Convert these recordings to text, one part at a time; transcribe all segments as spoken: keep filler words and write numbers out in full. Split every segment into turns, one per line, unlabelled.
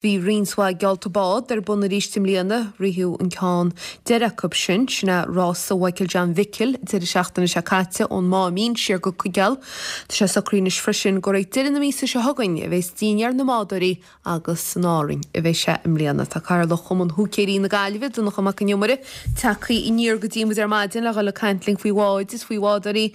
Bhí roinnt mhaith geallta bád ar bun arís i mbliana, ritheadh an ceann deiridh acu sin, sin é Rása Mhichael John Mhicil, deireadh seachtaine seo caite ón Máimín siar go Coigeal. Tá sé socraithe anois freisin gur ag deireadh na míosa seo chugainn a bheas Dinnéar na mBádóirí agus san Árainn a bheidh sé i mbliana. Tá Cathaoirleach Chumann Húicéirí na Gaillimhe, Donncha Mac an Iomaire, tagtha aniar go dtí muid ar maidin le dhul ag caint linn faoi bháid is faoi bhádóirí.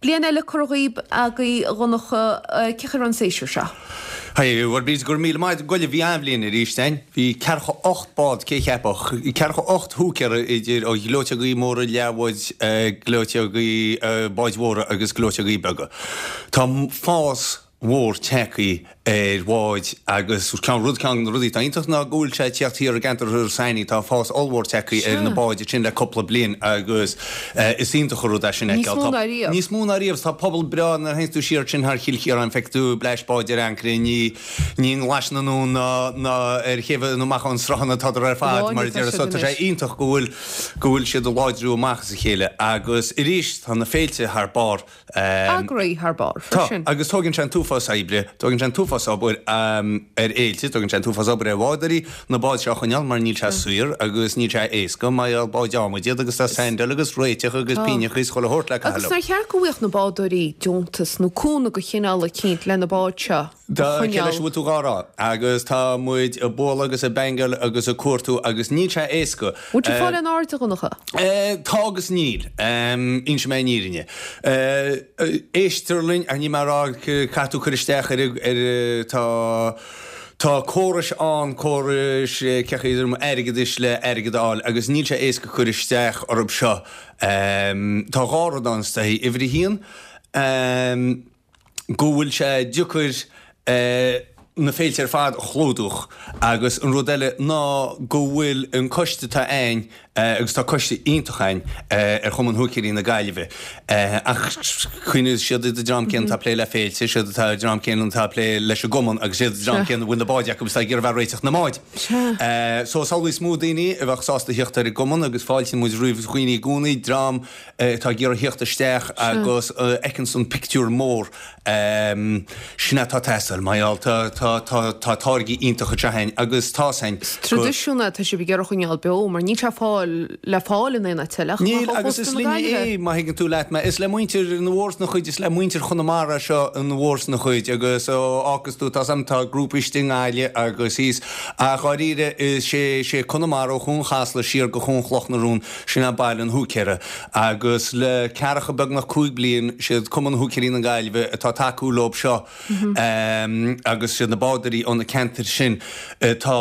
Bliain eile curtha dhaoib agaibh a Dhonncha, cén chaoi a raibh an séasúr seo?
Haigh, bhuel bhí go raibh míle maith agat bhí an-bhliain arís againn. Bhí ceathracha ocht bád, cé cheapfadh, ceathracha ocht húicéara idir ó ghleoiteogaí móra, leathbháid, gleoiteogaí, báid mhóra agus gleoiteogaí beaga. Tá fás mhór tagtha ar bháid agus ceann rud ceann de na rudaí atá iontach ná go bhfuil sé ag tíocht thiar i gceantar s'againne, tá fás ollmhór tagtha ar na báid sin le cúpla bliain agus is iontach an rud é sin a
Níos
fheiceáil.
mó
Tá
ná riamh.
níos mó ná riamh. Tá pobal breá nuair a théanns tú siar sin thar Chill Chiaráin feiceann tú bleaist báid ar ancaire ní ní i nGlais na nDún ná ná ar chéibh nó amach ón sruthán atádar ar fad
Amháin
mar a
atá
deir
siad
so tá sé
anois.
iontach go bhfuil go bhfuil siad ag láidriú amach as a chéile agus arís tá na féilte thar barr.
Eagraithe thar barr
Tá,
freisin.
agus tógann sé an t-uafás oibre, tógann sé an t-uafás obair ar fhéilte, tógann sé an t-uafás obair ar bhádóirí na báid seo a choinneáil mar níl sé saor agus níl sé éasca mar gheall báid adhmaid iad agus tá saindáil agus réiteach agus
Tá.
pínneacha is chuile shórt le caitheamh
Agus
leo.
nár cheart go bhfaigheadh na bádóirí deontas nó cúnamh de chineál eicínt le na báid seo a
Tá cé leis
choinneáil.
a bhfuil tú dhá rá agus tá muid ag bualadh agus ag bangáil agus ag cuartú agus níl sé éasca.
Bhfuil tú ag fáil aon aird a Dhonncha?
Tá agus níl. Inseoidh mé an fhírinne. Éistear linn, ach níl mé ag rá caithfidh tú cur isteach ar ar tá tá córais ann, córais cé chaoi airgeadais le airgead a fháil agus níl sé éasca cur isteach orthu seo. Tá dhá rud ann is dóichí. Uimhir a haon, go bhfuil sé deacair na féilte ar fad a chlúdach agus an rud eile ná go bhfuil an coiste atá ann agus tá coiste iontach ann ar Chumann Húicéirí na Gaillimhe ach cuimhnigh siad an dream céanna atá ag plé le féilte, siad atá an dream céanna atá ag plé leis an gcumann agus siad an dream céanna a bhfuil na báid acu agus tá ag iarraidh bheith réiteach na mbád. So samhlaigh is mó daoine a bheadh sásta theacht ar an gcumann agus fáiltíonn muid roimh dhaoine i gcónaí, dream atá ag iarraidh theacht isteach agus fheiceanns an pictiúr mór. Sin atá ag teastáil, mar gheall tá tá tá tá táirgí iontacha anseo againn agus tá's againn
Is
go.
traidisiún é atá sibh ag iarraidh a choinneáil beo mar níl sé fáil le fáil in aon áit eile ach
Níl
amach ó
agus
chósta
is
na
linne
Gaillimhe.
é má thuigeann tú leat mé. Is le muintir na bhForsna chuid, is le muintir Chonamara seo an bhForsna chuid agus ó fhágas tú tá's a'm tá grúpa istigh i nGaillimh agus thíos ach dháiríre is sé sé Conamara ó Chuan Chasla siar go Cuan Chloch na Rón sin é baile an húicéara agus le ceathracha beagnach cúig bliain siad Cumann Húicéirí na Gaillimhe atá ag tacú leob seo agus siad na bádóirí ó na ceantair sin atá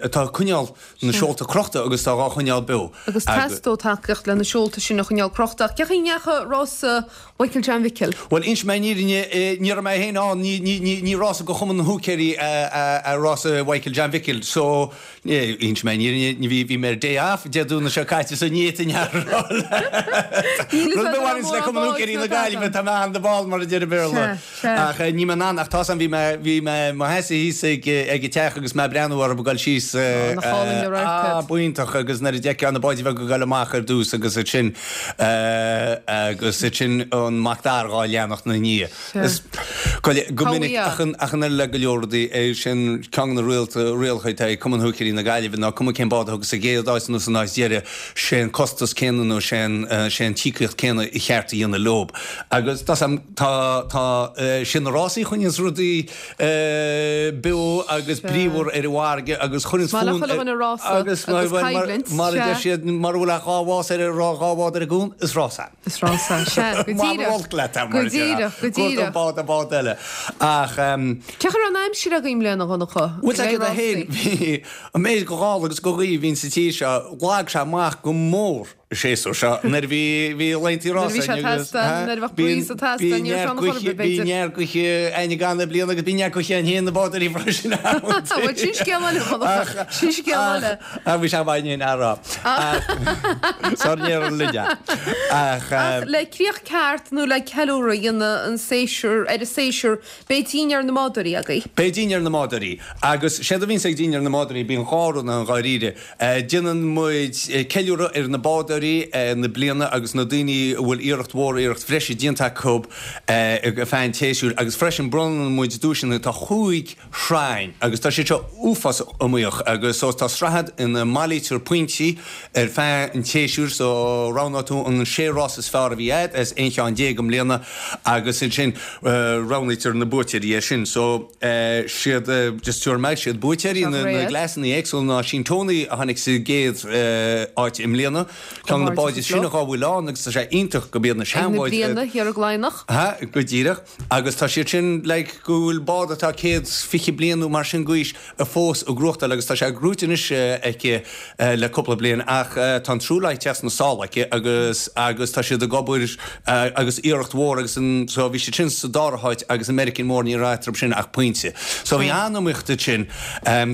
atá ag coinneáil na seolta crochta agus tá dhá choinneáil beo.
Agus teastóidh tacaíocht le na seolta sin a choinneáil crochta. Ach cén chaoi a ndeachaigh rása Mhichael John Mhicil?
Bhuel, inseoidh mé an fhírinne, ní raibh mé féin ann, ní, ní, ní, ní rása go Chumann na Húicéirí a rása Mhichael John Mhicil so inseoidh mé an fhírinne, ní bhí, bhí mé ar day off Dé Domhnaigh seo caite so ní fhéadfainn a rá leat.
Níl fhios
Rud
agat
a
an
bhaineanns le
mórán
Cumann
báid
Húicéirí
nó
na Gaillimhe,
tada.
tá mé an-dall mar a deir an Béarla.
Sea, sea.
Ach ní mé in ann, ach tá's a'm, bhí mé, bhí mé mo sheasamh thíos ag, ag an teach agus mé ag breathnú orthu ag dul síos,
Á, nach álainn an radharc
ah,
iad.
b'iontach agus nuair a d'fheicfeá na báid bheaga ag dul amach ar dtús agus ansin, agus ansin an Mac Dara dhá leanacht 'na ndiaidh.
Sea.
Is go go minic
Cá
ach an, ach an oiread le go leor rudaí, é sin ceann de na rialta, rialacha atá ag Cumann Húicéirí na Gaillimhe ná cuma cén bád a thugas sa gcéad áit nó san áit dheiridh, sé an costas céanna nó sé an, sé an t-íocaíocht céanna a cheart a dhéanamh leob. Agus tá's a'm, tá, tá, sin na rásaí a choinníonns rudaí beo agus
Sea.
bríomhar ar an bhfarraige agus chuireanns
Is maith le
fonn
chuile
ar
dhuine rása
agus
agus
mar, mar,
coimhlint,
mar a deir
sea.
siad, mura bhfuil ach dhá bhás ar, dhá bhád ar an gcuan, is rása.
Is rása, sea, go
Mar
díreach.
olc leat é,
Go
mar a déarfá.
díreach, go
Cuartú
díreach.
bád ar bhád eile. Ach,
Cén chaoi a raibh an aimsir agaibh i mbliana, a Dhonncha?
Bhuel,
Le
tá
rásaí.
féin, bhí an méid go gála agus go gaoth a bhíonn sa tír seo, lag sé amach go mór an séasúr seo nuair a bhí bhí laethanta
Nuair a bhí
rása
sé
againn agus
teastáil, nuair a bheadh breeze ag
bíonn
teastáil, ní raibh sé
neart
ann chor ar
gaoithe
bith,
bíonn
b'fhéidir.
neart gaoithe againn gan na bliana agus bíonn neart gaoithe againn féin na bádóirí freisin
Bhuel, sin scéal eile, a Dhonncha,
Ach
sin scéal
ach
eile.
ach bhí sé maith in rá. Ach sár néar an linne. Ach
Ach le críoch ceart nó le ceiliúradh a dhéanamh an séasúr ar an séasúr, beidh dinnéar na mbádóirí agaibh.
Beidh dinnéar na mbádóirí agus séard a bhíonns ag dinnéar na mbádóirí bíonn dhá rud ann dháiríre. Déanann muid ceiliúradh ar na bádóirí bádóirí na bliana agus na daoine a bhfuil iarracht mhór, iarracht bhreise déanta acu ar feadh an tséasúir agus freisin bronnann muid duaiseanna, tá chúig shraith ann agus tá siad seo uafásach iomaíoch agus so tá sraith ina mbailítear pointí ar feadh an tséasúir so roghnóidh tú an sé rás is fearr a bhí agat as aon cheann déag i mbliana agus ansin roghnaítear na buaiteoirí air sin so siad just tabharfaidh mé siad buaiteoirí na gcleasanna éagsúla ná sin Tony a tháinig sa gcéad áit i mbliana ceann de na báid is sine dhá bhfuil ann agus tá sé iontach go mbíonn na seanbháid
Ag na bliana thiar i gCladhnach.
Ha, go díreach. Agus tá siad sin like go bhfuil bád atá céad fiche bliain nó mar sin d'aois fós ag gnóthachtáil agus tá sé gnóite anois aici le cúpla bliain ach tá an truailleán ag teacht sna sála aici agus agus tá siad ag obair agus iarracht mhór agus an so bhí siad sin sa dara háit agus an Meiriceán Mór ní raibh eatarthu sin ach pointe. So bhí an-iomaíocht ansin.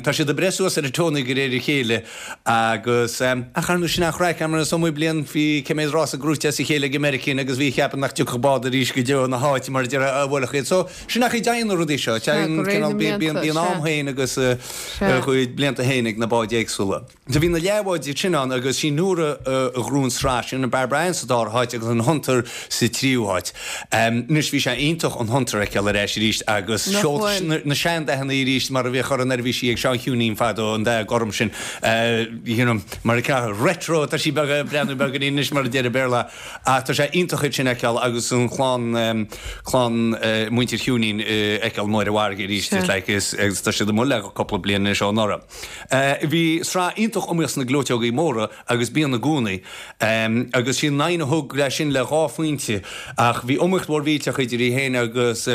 Tá siad ag breith suas ar an Tony de réir a chéile agus ach ar ndóigh sin an chraic mar is iomaí bliain bhí cé mhéad rása gnóite as a chéile ag an Meiriceán agus bhí ag ceapadh nach dtiocfadh bád arís go deo ina háit mar a déarfá a bhuailfeadh iad. So sin an chaoi a dtéann na rudaí seo. Téann cineál bíonn bíonn am féin agus a chuid blianta féin ag na báid éagsúla. Do bhí na leathbháid sin ann agus sí Nóra a ghnóthaigh an tsraith sin, an Barbara Ann sa dara háit agus an Hunter sa tríú háit. Anois bhí sé iontach an Hunter a fheiceáil ar ais arís agus
Nach
seolta
bhfuil?
na seandathanna arís mar a bhíodh orthu nuair a bhí sí ag Seán Chiúinín fadó, an dath gorm sin, you know, mar a ceapadh retro, tá sí beag, breathnú beagáinín anois mar a deir an Béarla ach tá sé iontach iad sin a fheiceáil agus an chlann, clann muintir Chiúinín a fheiceáil amuigh ar an bhfarraige arís,
Sea.
it's like, is, agus tá siad amuigh le cúpla bliain anois ó anuraidh. Bhí sraith iontach iomaíoch sna gleoiteogaí móra agus bíonn i gcónaí, agus sí an Nain a thug leis sin le dhá phointe ach bhí iomaíocht mhór mhillteach idir í féin agus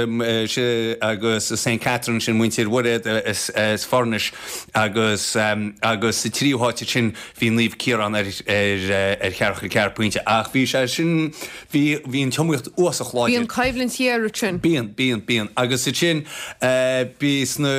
agus Saint Catherine, sin muintir Mhuiréad as Foirnis agus agus sa tríú háit ansin bhí Naomh Ciarán ar ar cheathracha ceathair pointe ach bhí sé sin, bhí bhí an t-iomaíocht uafásach láidir.
Bíonn coimhlint ghéar ansin.
Bíonn, bíonn, bíonn. Agus ansin bhí sna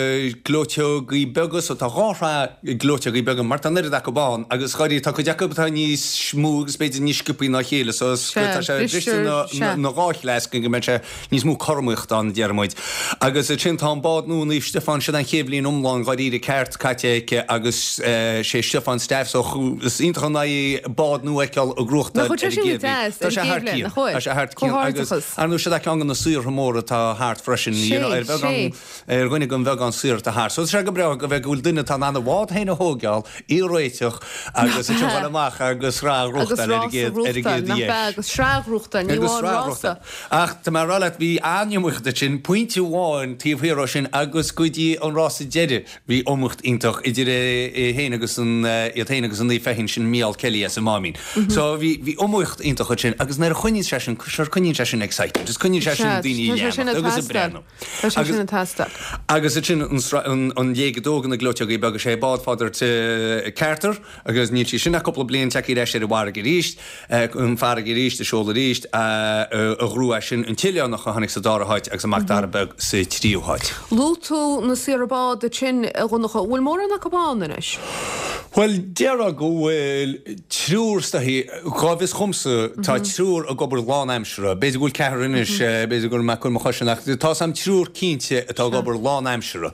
gleoiteogaí beaga, so tá dhá shraith gleoiteogaí beaga mar tá an oiread acu ann agus dháiríre tá cuid acu atá níos mó agus b'fhéidir níos sciobthaí ná a chéile so is
Sea,
tá sé briste
bristear,
na
sea.
na dhá chleas go mbeidh sé níos mó cothromaíochta ann a deir muid. Agus ansin tá an bád nua Naomh Stiofán, sin an chéad bhliain iomlán dháiríre ceart caite aici agus sé Stiofán Staff so is iontach an aghaidh bád nua a fheiceáil ag
Nach
gnóthachtáil
bhfuil sé
ar an
sin go
gcéad bhliain.
deas,
Tá
ar
sé
an
thar
gcéad bhliain,
cionn.
nach bhfuil?
Tá sé thar cionn agus
Comhghairdeachas.
ar ndóigh siad ceann de na saortha móra atá thart freisin, you know,
Sé,
ar bheagán
sé.
ar dhuine den bheagán saor atá thart. So tá sé go breá go bheith go bhfuil duine atá in ann a bhád féin a thógáil, í a réiteach agus
Nach
a
ea?
dul amach agus sraith a
Agus
ghnóthachtáil ar an
rás a
gcéad ar an
ghnóthachtáil,
gcéad
nach
dheis.
ea? Agus sraith a ghnóthachtáil, ní
Agus
amháin
sraith a
rása.
ghnóthachtáil. Ach tá mé ag rá leat, bhí an-iomaíocht ansin, pointe amháin taobh thiar ó sin agus go dtí an rása deiridh bhí iomaíocht iontach idir é é féin agus an iad féin agus an Naomh Feichin sin Mícheál Kelly as an Máimín. So bhí bhí iomaíocht iontach ansin agus nuair a choinníonn sé sin, sure coinníonn sé sin excitement, is coinníonn sé sin
Sea,
daoine
tá sé sin
ag
ag
leanacht agus ag
teastáil.
breathnú.
Tá sé
Agus
sin ag teastáil.
Agus ansin an sra- an an léig a dó de na gleoiteogaí beaga sé bád Father Carter agus níl sí sin ach cúpla bliain tagtha ar ais ar an bhfarraige arís, an farraige arís, ag seoladh arís, a ghnóthaigh sin an tOileánach a tháinig sa dara háit agus an Mac Dara Beag sa tríú háit.
Luaigh tú na saortha bád ansin a Dhonncha, bhfuil mórán acu ann anois?
Bhuel, déarfá go bhfuil triúr is dóichí, cá bhfios dhomsa, tá triúr ag obair lánaimseartha, b'fhéidir go bhfuil ceathrar anois, b'fhéidir go raibh mé ag cur mo chois ann, ach tá 'fhios a'm triúr cinnte atá ag obair lánaimseartha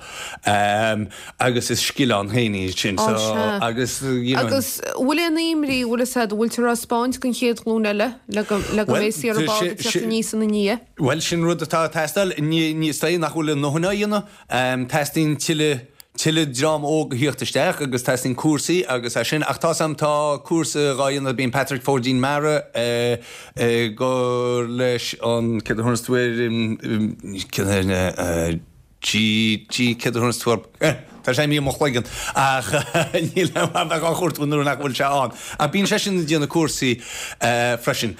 agus is scil ann féin iad sin,
Ó
so
sea.
agus you know.
Agus bhfuil aon imní, bhfuil 'fhios a'd, bhfuiltear á spáint don chéad ghlúin eile le go le go
Bhuel,
mbeidh saortha bád ag teacht aníos ina ndiaidh?
Bhuel, sin rud atá ag teastáil, ní ní is dóigh nach bhfuil a ndóthain á dhéanamh, teastaíonn tuilleadh tuilleadh dream óg a thíocht isteach agus teastaíonn cúrsaí agus é sin ach tá 'fhios a'm tá cúrsa dhá dhéanamh bíonn Patrick Pháidín Mara ag cur leis an céard a thabharfas tú air céard G G céard a thabharfas tú air tá sé imithe i mo chloigeann ach níl a bheith á chuartú nuair nach bhfuil sé ann ach bíonn seisean ag déanamh cúrsaí freisin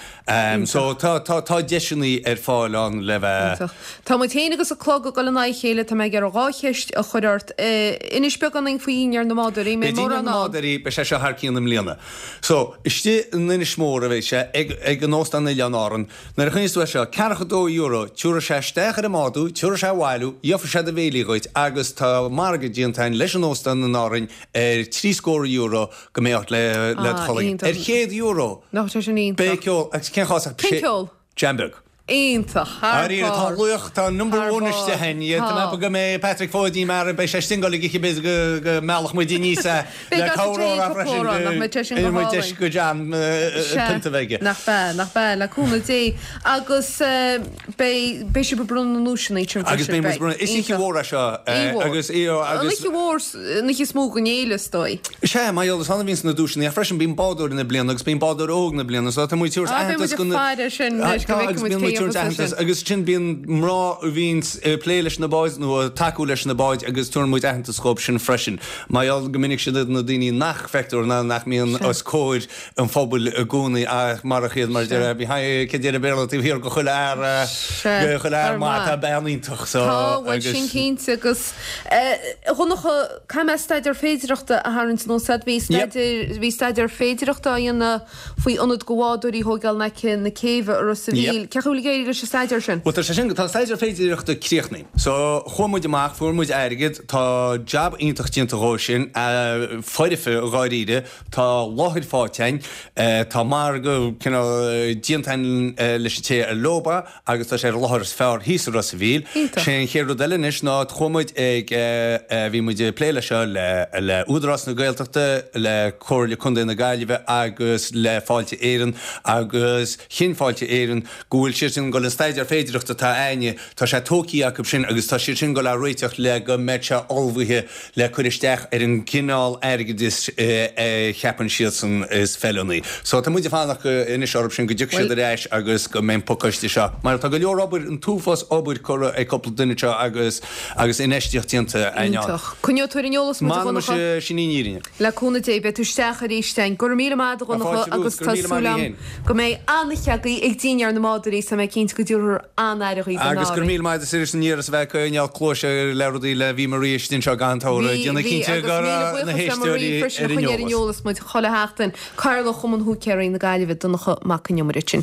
so tá tá tá deiseanna ar fáil ann le bheith
Iontach. Tá muid féin agus an clog ag dul in aghaidh a chéile, tá mé ag iarraidh dhá cheist a chur ort. Inis beagán dúinn faoi Dhinnéar na mBádóirí, mbeidh
Beidh Dinnéar
mórán
na
ann?
mBádóirí, beidh sé seo thar cionn i mbliana. So, istigh in Inis Mór a bheidh sé, ag ag an Óstán Oileán Árann. Nuair a choinníos tú é seo, ceathracha dó euro, tiúrfaidh sé isteach ar an mbád thú, tiúrfaidh sé abhaile thú, gheobhaidh sé do bhéilí dhuit agus tá margadh déanta againn leis an óstán in Árainn ar trí scór euro go mbeidh ort le le do
Ah,
chloigeann.
iontach.
Ar chéad euro!
Nach sé sin
Beidh
iontach.
ceol, agus cén chás ach
Cén ceol?
Jam beag.
Iontach, thar
Dáiríre, tá
barr.
luach, tá number
Thar
one
barr.
istigh a'inn. Tá mé
Tá.
ag ceapadh go mbeidh Patrick Phóidí mar beidh sé istigh ag dul ag ithe b'fhéidir go go meallfadh muid aníos é
Beidh
le
gach
cabhair
a
ó
dtéann
freisin
cúpla amhrán, nach mbeidh sé sin go
go mbeidh deis
hálainn.
go John
Sea,
pionta bheith aige.
Nach bea, nach bea, le cúnamh Dé. Agus eh, beidh beidh sibh ag bronnadh na nduaiseanna sin
Agus
freisin,
beidh muid
beidh.
bronnadh. Is oíche
Iontach.
mhór é seo eh,
Oíche mhór.
agus í
An
agus
oíche mhór, an oíche is mó den fhéile, is dóigh.
Sea, mar gheall is annamh a bhíonns na duaiseanna, ach freisin bíonn bádóir na bliana agus bíonn bádóir óg na bliana, so tá muid ag tabhairt
Ah, beidh
aitheantas
muid ag
go na-
faire sin
Ah,
anois, go
tá,
bhfeicfidh
agus
muid
bíonn muid
cé
tabhairt
a
aitheantas
sin.
agus sin bíonn mná a bhíonns ag plé leis na báid nó ag tacú leis na báid agus tugann muid aitheantas dhóibh sin freisin. Mar gheall go minic siad na daoine nach bhfeictear ná nach mbíonn os comhair an phobail i gcónaí ach marach iad mar deir cé deir Béarla taobh thiar de chuile fhear
Sea,
de chuile fhear
thar
maith
maith.
tá bean iontach so
Tá bhfuil
agus
sin cinnte agus eh, Dhonncha caithfidh mé staidéar féidireachta a tharraingt anuas bhí staidéar bhí staidéar féidireachta á dhéanamh faoi ionad do bhádóirí a thógáil in aice na céibhe i Ros a' Mhíl. Cén chaoi a bhfuil ag éirí leis an staidéar sin?
Well tá sé sin tá staidéar féidireachta críochnaithe. So chuaigh muid amach fuair muid airgead tá jab iontach déanta dhó sin uh, foirfe dháiríre tá láthair faighte a'inn uh, tá margadh cineál déanta a'inn uh, leis an té ar leoba agus tá sé ar láthair is fearr thíos i Ros a' Mhíl.
Iontach.
Sé an chéad rud eile anois ná chuaigh muid ag uh, uh, bhí muid ag plé le seo le le Údarás na Gaeltachta le Comhairle Contae na Gaillimhe agus le Fáilte Éireann agus chinn Fáilte Éireann go bhfuil siad sin go an staidéar féidireachta atá a'inne tá sé tógtha acu sin agus tá siad sin go le réiteach le go mbeidh sé ullmhaithe le cur isteach ar an gcineál airgeadais cheapann siad san is feiliúnaí. So tá muid ag fanacht anois orthu sin go dtiocfaidh siad ar ais agus go mbeidh an pacáiste seo. Mar tá go leor obair an t-uafás obair curtha ag cúpla duine seo agus agus infheistíocht déanta a'inn.
Iontach. Coinneoidh tú ar an eolas muid a
Man
Dhonncha?
sin í fhírinne.
Le cúnamh Dé beidh tú isteach arís a'inn. Go raibh míle maith a Dhonncha
fáilte romhat,
agus
go
tá
raibh míle maith
súil
féin.
go mbeidh an-cheagaí ag daoine ar na mbádóirí sa mé cinnte go dtabharfar an-aire daoibh
Agus gur míle maith is an iarras bheith coinneáil cluaise le rudaí le bhí Maria sin seo gan tóra déanamh cinnte go raibh na héisteoirí ar
ar
an
an
eolas.
eolas muid chuile sheachtain Cathaoirleach Chumann Húicéirí na Gaillimhe Donncha Mac Con Iomaire sin.